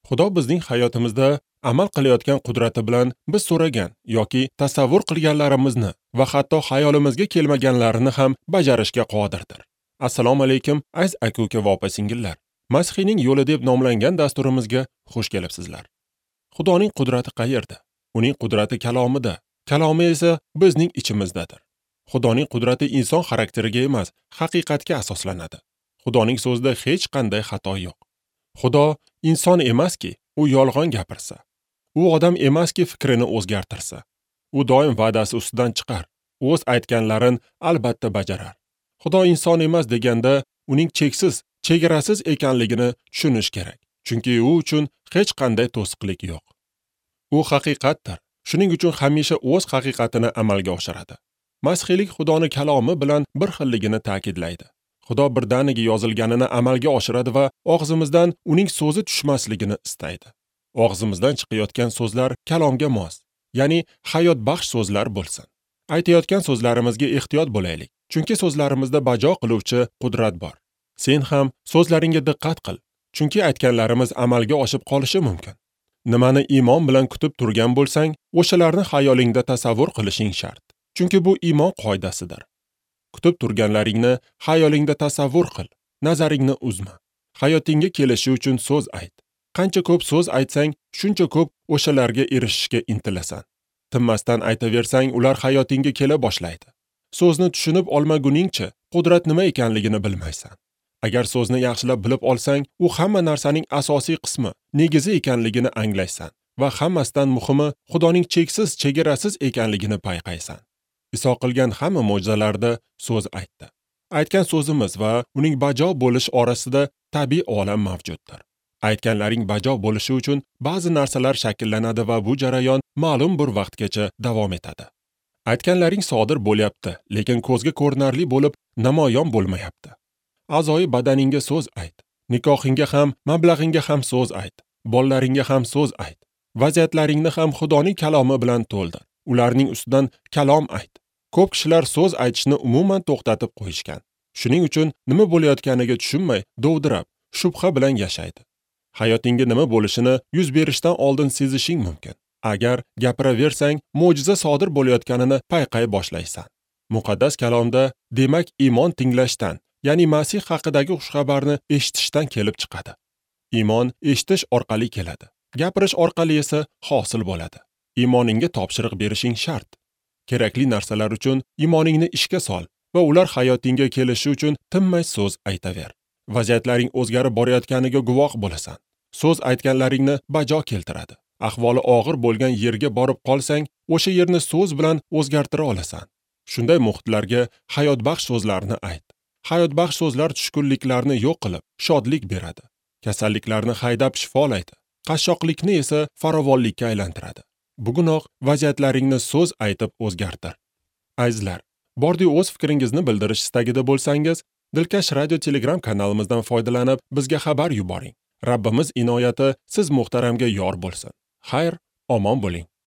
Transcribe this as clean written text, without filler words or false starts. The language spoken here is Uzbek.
Xudo bizning hayotimizda amal qilayotgan qudrati bilan biz so'ragan yoki tasavvur qilganlarimizni va hatto hayolimizga kelmaganlarini ham bajarishga qodirdir. Assalomu alaykum, aziz aka-uka va opa-singillar. Masihiyning yo'li deb nomlangan dasturimizga xush kelibsizlar. Xudoning qudrati qayerda? Uning qudrati kalomida. Kalomi esa bizning ichimizdadir. Xudoning qudrati inson xarakteriga emas, haqiqatga asoslanadi. Xudoning so'zida hech qanday xato yo'q. Xudo inson emaski, u yolg'on gapirsa. U odam emaski, fikrini o'zgartirsa. U doim va'dasi ustidan chiqar. O'z aytganlarini albatta bajarar. Xudo inson emas deganda uning cheksiz, chegarasiz ekanligini tushunish kerak. Chunki u uchun hech qanday to'siqlik yo'q. U haqiqatdir. Shuning uchun hamisha o'z haqiqatini amalga oshiradi. Masihiylik Xudoni kalomi bilan bir xilligini ta'kidlaydi. Xudo birdaniga yozilganini amalga oshiradi va og'zimizdan uning so'zi tushmasligini istaydi. Og'zimizdan chiqayotgan so'zlar kalomga mos, ya'ni hayotbaxsh so'zlar bo'lsin. Aytayotgan so'zlarimizga ehtiyot bo'laylik, chunki so'zlarimizda bajo qiluvchi qudrat bor. Sen ham so'zlaringga diqqat qil, chunki aytganlarimiz amalga oshib qolishi mumkin. Nimani iymon bilan kutib turgan bo'lsang, o'shalarni xayolingda tasavvur qilishing shart. Chunki bu iymon qoidasidir. Kutib turganlaringni xayolingda tasavvur qil, nazaringni uzma. Hayotingga kelishi uchun so'z ayt. Qancha ko'p so'z aytsang, shuncha ko'p o'shalarga erishishga intilasan. Tinmasdan aytaversang, ular hayotingga kela boshlaydi. So'zni tushunib olmaguningcha qudrat nima ekanligini bilmaysan. Agar so'zni yaxshilab bilib olsang, u hamma narsaning asosiy qismi, negizi ekanligini anglaysan va hammasidan muhimi Xudoning cheksiz, chegarasiz ekanligini payqaysan. Iso qilgan hamma mo'jizalarda so'z aytdi. Aytgan so'zimiz va uning bajo bo'lish orasida tabiiy olam mavjuddir. Aytganlaring bajo bo'lishi uchun ba'zi narsalar shakllanadi va bu jarayon ma'lum bir vaqtgacha davom etadi. Aytganlaring sodir bo'lyapti, lekin ko'zga ko'rinarli bo'lib namoyon bo'lmayapti. A'zoyi badaningga so'z ayt. Nikohingga ham, mablag'ingga ham so'z ayt. Bolalaringga ham so'z ayt. Vaziyatlaringni ham Xudoning kalomi bilan to'ldir. Ularning ustidan kalom ayt. Ko'p kishilar so'z aytishni umuman to'xtatib qo'yishgan. Shuning uchun nima bo'layotganiga tushunmay, dovdirab, shubha bilan yashaydi. Hayotingga nima bo'lishini yuz berishdan oldin sezishing mumkin. Agar gapiraversang, mo'jiza sodir bo'layotganini payqay boshlaysan. Muqaddas kalomda, demak, iymon tinglashdan, ya'ni Masih haqidagi xushxabarni eshitishdan kelib chiqadi. Iymon eshitish orqali keladi. Gapirish orqali esa hosil bo'ladi. Iymoningga topshiriq berishing shart. Kerakli narsalar uchun iymoningni ishga sol va ular hayotingga kelishi uchun tinmay so'z aytaver. Vaziyatlaring o'zgarib borayotganiga guvoh bo'lasan. So'z aytganlaringni bajo keltiradi. Ahvoli og'ir bo'lgan yerga borib qolsang, o'sha yerni so'z bilan o'zgartira olasan. Shunday muhitlarga hayotbaxsh so'zlarni ayt. Hayotbaxsh so'zlar tushkunliklarni yo'q qilib, shodlik beradi. Kasalliklarni haydab shifolaydi. Qashshoqlikni esa farovonlikka aylantiradi. Bugunoq vaziyatlaringni so'z aytib o'zgartir. Azizlar, bordi o'z fikringizni bildirish istagida bo'lsangiz, Dilkash Radio Telegram kanalimizdan foydalanib bizga xabar yuboring. Rabbimiz inoyati siz muhtaramga yor bo'lsin. Xayr, omon bo'ling.